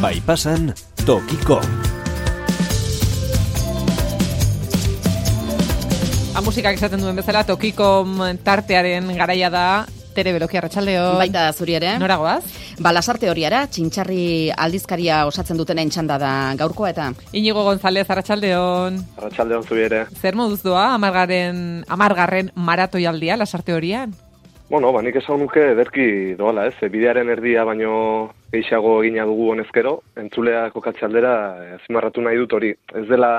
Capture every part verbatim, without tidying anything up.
Bai pasan, tokiko. A musikak esaten duen bezala, tokiko tartearen garaia da. Tere Beloki, arratsaldeon. Baita zuri ere. Nora goaz? Ba, lasarte horiara, txintxarri aldizkaria osatzen dutenen txanda da gaurkoa eta. Inigo González, arratsaldeon. Arratsaldeon zuri ere. Zer moduz doa, amargarren, amargarren maratoialdia, lasarte horian? Bueno, ba, nik esan nuke ederki doala, ez? Bidearen erdia baino gehiago egina dugu honezkero, entzulea kokatze aldera azpimarratu nahi dut hori. Ez dela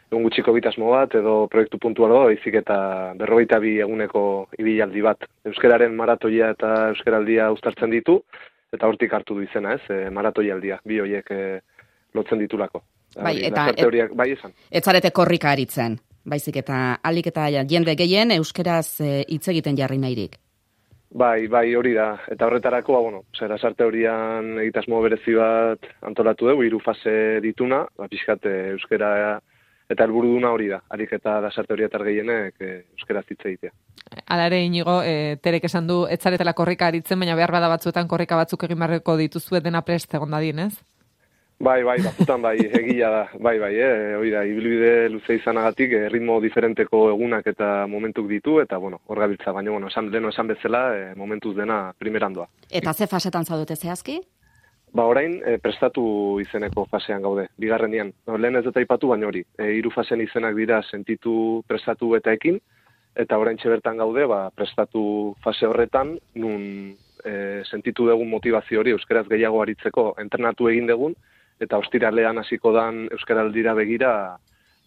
egun gutxiko bitasmo bat edo proiektu puntual da, baizik eta berrogeita bi eguneko ibilaldi bat. Euskararen maratoia eta euskaraldia uztartzen ditu, eta hortik hartu du izena, ez? E, maratoialdia, bi horiek e, lotzen ditulako. Bai, Hori, eta lasarte horiek, bai esan. Ez zarete korrika aritzen, baizik eta alik eta jende gehien euskeraz hitz egiten jarri nahirik. Bai, bai, hori da. Eta horretarako, ba, bueno, zera sarte horian egitasmo berezi bat antolatu dugu, hiru fase dituna, ba, pixkat euskera eta helburuduna hori da. Harik eta lasarte hori etar gehienek e, euskaraz hitz egitea. Hala ere, Inigo, e, Terek esan du, ez zaretela korrika aritzen, baina behar bada batzuetan korrika batzuk egin beharreko dituzue dena prest egon dadin, ez? Bai, bai, batzutan bai, egila da, bai, bai, eh, hori da, ibilbide luze izanagatik, eh, ritmo diferenteko egunak eta momentuk ditu, eta, bueno, hor gabiltza, baina, bueno, esan, leno esan bezala, eh, momentuz dena primerandoa. Eta ze fasetan zaudete zehazki? Ba, orain, eh, prestatu izeneko fasean gaude, bigarrenian. No, lehen ez dut aipatu, baina hori, eh, hiru fasen izenak dira sentitu, prestatu eta ekin, eta orain bertan gaude, ba, prestatu fase horretan, nun eh, sentitu dugun motivazio hori, euskaraz gehiago aritzeko, entrenatu egin dugun, eta ostiralean hasiko dan euskaraldira begira,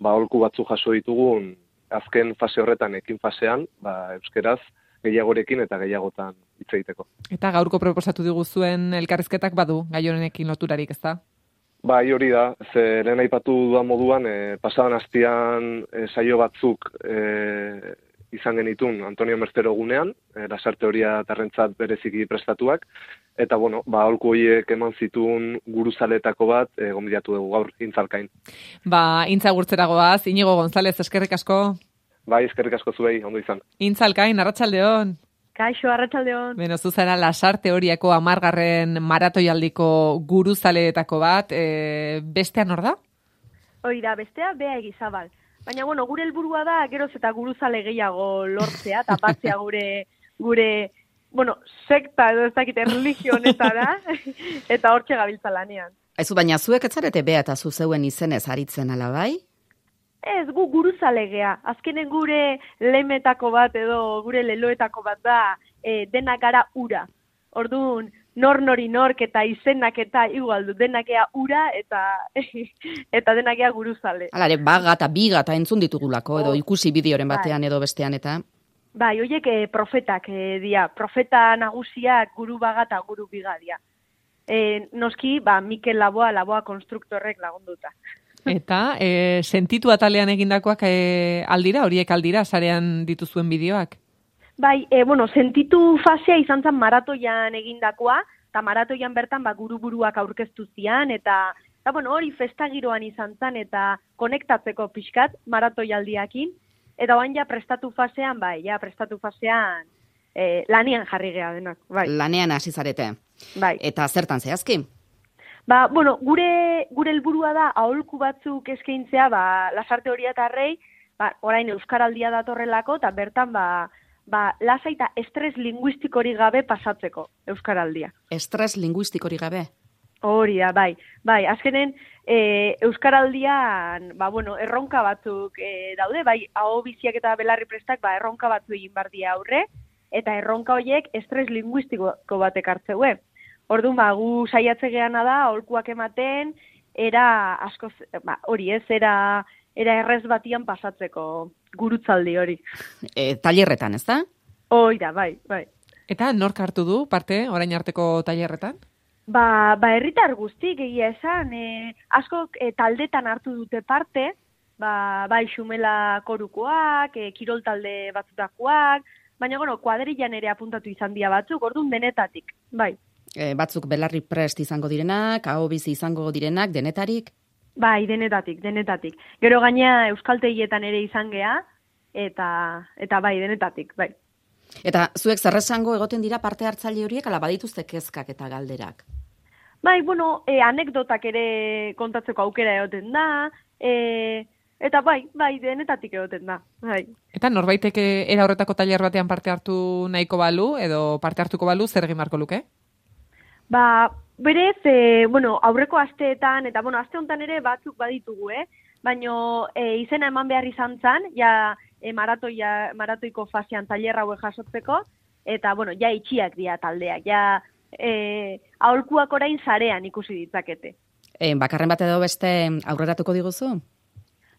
ba, aholku batzu jaso ditugun, azken fase horretan, ekin fasean, ba, euskaraz gehiagorekin eta gehiagotan hitz egiteko. Eta gaurko proposatu diguzuen elkarrizketak badu, gai honekin loturarik, ez da? Bai, hori da, ze lehen aipatu dudan moduan, e, pasadan hastian e, saio batzuk e, izan genitun Antonio Mercero gunean, e, lasarte horia tarrentzat bereziki prestatuak, eta, bueno, ba, aholku horiek eman zituen guruzaletako bat, e, gonbidatu dugu gaur, intzalkain. Ba, intza gurtzera goaz, Inigo González, eskerrik asko. Bai, eskerrik asko zuei, ondo izan. Intzalkain, arratsaldeon. Kaixo, arratsaldeon. Beno, zuzara lasarte horiako amargarren maratoialdiko guruzaleetako bat, e, bestean hor da? Hori da, bestea, Bea Egizabal. Baina, bueno, gure helburua da, geroz eta guruzale gehiago lortzea, tapatzea gure, gure, bueno, sekta edo ez dakit, erlijio honetara, eta hortxe gabiltza lanean. Aizu, baina zuek ez zarete Bea eta zu zeuen izenez aritzen ala bai? Ez, gu guruzale gea. Azkenen gure lemetako bat edo gure leloetako bat da, e, denak gara ura. Orduan, nor nori nork eta izenak eta igual du, denakea ura eta eta denakea guruzale. Alare, baga eta biga eta entzun ditugulako, edo ikusi bideoren batean edo bestean eta... Bai, horiek e, profetak e, dia, profeta nagusiak guru baga eta guru biga dia. E, noski, ba, Mikel Laboa, Laboa konstruktorrek lagunduta. Eta, e, sentitu atalean egindakoak e, aldira, horiek aldira, sarean dituzuen bideoak? Bai, e, bueno, sentitu fasea izan zen maratoian egindakoa, eta maratoian bertan ba, guru-buruak aurkeztu zian, eta, eta bueno, hori festagiroan izan zen, eta konektatzeko pixkat maratoialdiakin, eta oain ja prestatu fasean, bai, ja prestatu fasean e, lanean jarri geha denak, bai. Lanean hasi zarete. Bai. Eta zertan zehazki? Ba, bueno, gure gure helburua da aholku batzuk eskaintzea, ba, lasarte hori eta arrei, ba, orain euskaraldia datorrelako, eta bertan, ba, ba, lasa eta estres linguistikori gabe pasatzeko euskaraldia. Estres linguistikori gabe? Hori da, bai. Bai, azkenen, e, euskaraldian, ba, bueno, erronka batzuk e, daude, bai, aho biziak eta belarri prestak, ba, erronka batzu egin bardia aurre, eta erronka horiek estres linguistiko batek hartzeue. Orduan, ba, gu saiatze geana da, aholkuak ematen, era askoz, ba, hori ez, era, era errez batian pasatzeko gurutzaldi hori. E, tailerretan, ez da? Hoi da, bai, bai. Eta nork hartu du parte, orain arteko tailerretan? Ba, ba herritar guztik egia esan, e, asko e, taldetan hartu dute parte, ba, bai xumela korukoak, e, kirol talde batzutakoak, baina, bueno, kuadrillan ere apuntatu izan dira batzuk, orduan denetatik, bai. E, batzuk belarri prest izango direnak, aho bizi izango direnak, denetarik? Bai, denetatik, denetatik. Gero gaina euskaltegietan ere izan gea, eta, eta bai, denetatik, bai. Eta zuek zer esango egoten dira parte hartzaile horiek, ala badituzte kezkak eta galderak? Bai, bueno, e, anekdotak ere kontatzeko aukera egoten da, e, eta bai, bai, denetatik egoten da. Bai. Eta norbaitek era horretako tailer batean parte hartu nahiko balu, edo parte hartuko balu, zer egin beharko luke? Ba, berez, e, bueno, aurreko asteetan, eta bueno, aste honetan ere batzuk baditugu, eh? Baina e, izena eman behar izan zan, ja e, maratoia, maratoiko fasean tailer hauek jasotzeko, eta bueno, ja itxiak dira taldeak, ja e, aholkuak orain sarean ikusi ditzakete. E, bakarren bat edo beste aurreratuko diguzu?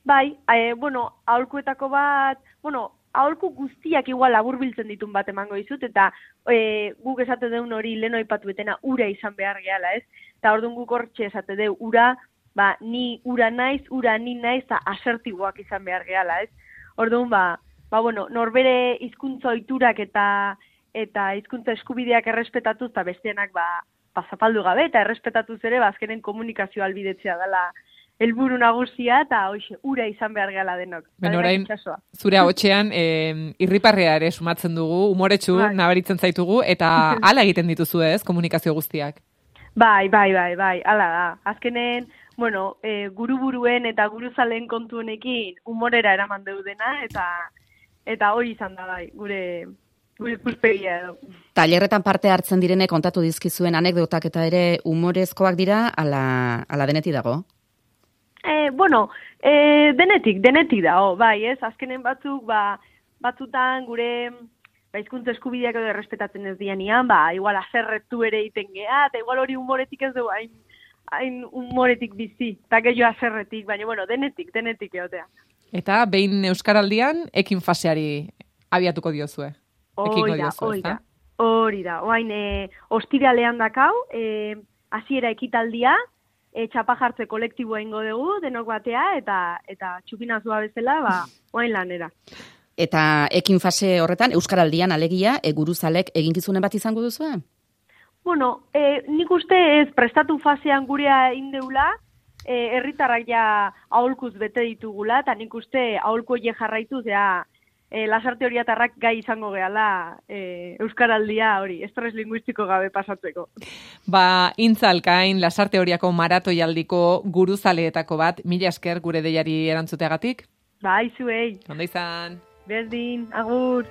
Bai, e, bueno, aholkuetako bat, bueno, aholku guztiak igual laburbiltzen ditun bat emango dizut, eta e, guk esate deun hori leno aipatuetena ura izan behar gehala, ez? Eta orduan guk hortxe esate deu ura, ba, ni ura naiz, ura ni naiz, eta asertiboak izan behar gehala, ez? Orduan, ba, ba, bueno, norbere hizkuntza ohiturak eta eta hizkuntza eskubideak errespetatuz, eta besteenak, ba, pasapaldu gabe, eta errespetatuz ere, ba, azkenen komunikazio albidetzea dela helburu nagusia, eta hoxe, ura izan behar gehala denok. Ben orain, zure ahotsean, eh, irriparrea ere sumatzen dugu, umoretsu bai. Nabaritzen zaitugu, eta hala egiten dituzu ez, komunikazio guztiak. Bai, bai, bai, bai, hala da. Azkenen, bueno, e, guru-buruen eta guruzalen kontu honekin umorera eraman deudena, eta eta hori izan da bai, gure gure ikuspegia edo. Tailerretan parte hartzen direnek kontatu dizkizuen anekdotak eta ere umorezkoak dira, ala, ala denetik dago? E, bueno, e, denetik, denetik dago, bai, ez? Azkenen batzuk, ba, batzutan gure ba, hizkuntza eskubideak edo errespetatzen ez dianian, ba, igual azerretu ere egiten geha, eta igual hori humoretik ez du, hain, hain humoretik bizi, eta gehiago azerretik, baina, bueno, denetik, denetik egotea. Eta behin Euskaraldian, ekin faseari abiatuko diozue. Hori da, hori da, hori da, oain, e, ostiralean dakau, e, hasiera ekitaldia, e, txapa jartze kolektiboa ingo dugu, denok batea, eta eta txupinazua bezala, ba, oain lanera. Eta ekin fase horretan, Euskaraldian alegia, e, guruzalek eginkizunen bat izango duzu? Bueno, e, nik uste ez prestatu fasean gurea indeula, e, herritarrak ja aholkuz bete ditugula, eta nik uste aholko je jarraituz, ja, e, lasarte horiatarrak gai izango gehala e, Euskaraldia hori, estres linguistiko gabe pasatzeko. Ba, intzalkain, lasarte horiako maratoialdiko guruzaleetako bat, mila esker gure deiari erantzuteagatik? Ba, izuei. Ondo izan. Berdin, agur.